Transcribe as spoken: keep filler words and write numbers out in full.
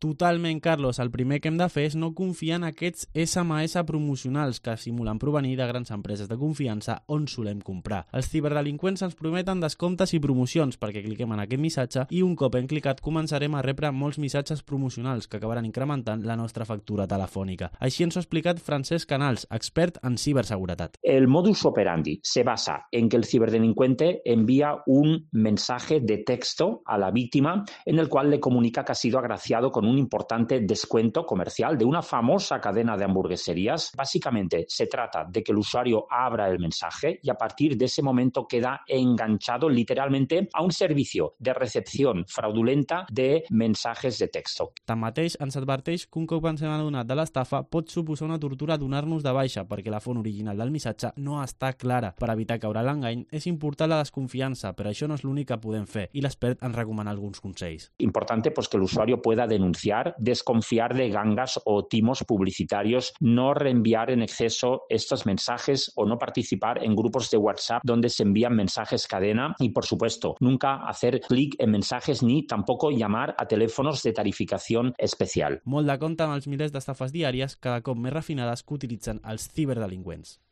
Totalment, Carlos. El primer que hem de fer és no confiar en aquests esse eme esse promocionals que simulen provenir de grans empreses de confiança on solem comprar. Els ciberdelinqüents ens prometen descomptes i promocions perquè cliquem en aquest missatge i un cop hem clicat començarem a rebre molts missatges promocionals que acabaran incrementant la nostra factura telefònica. Així ens ho ha explicat Francesc Canals, expert en ciberseguretat. El modus operandi se basa en que el ciberdelincuente envía un mensaje de texto a la víctima en el cual le comunica que ha sido agraciado con un importante descuento comercial de una famosa cadena de hamburgueserías. Básicamente se trata de que el usuario abra el mensaje y a partir de ese momento queda enganchado literalmente a un servicio de recepción fraudulenta de mensajes de texto. Tanmateix, ens adverteix que un cop ens hem adonat de l'estafa pot suposar una tortura donar-nos de baixa perquè la font original del missatge no està clara. Per evitar caure a l'engany és important la desconfiança, però això no és l'únic que podem fer i l'expert ens recomana alguns consells. Importante pues que el usuario pueda denunciar, desconfiar de gangas o timos publicitarios, no reenviar en exceso estos mensajes o no participar en grupos de WhatsApp donde se envían mensajes cadena y, por supuesto, nunca hacer clic en mensajes ni tampoco llamar a teléfonos de tarificación especial. Molt de compte amb els milers d'estafes diàries cada cop més refinades que utilitzen els ciberdelinqüents.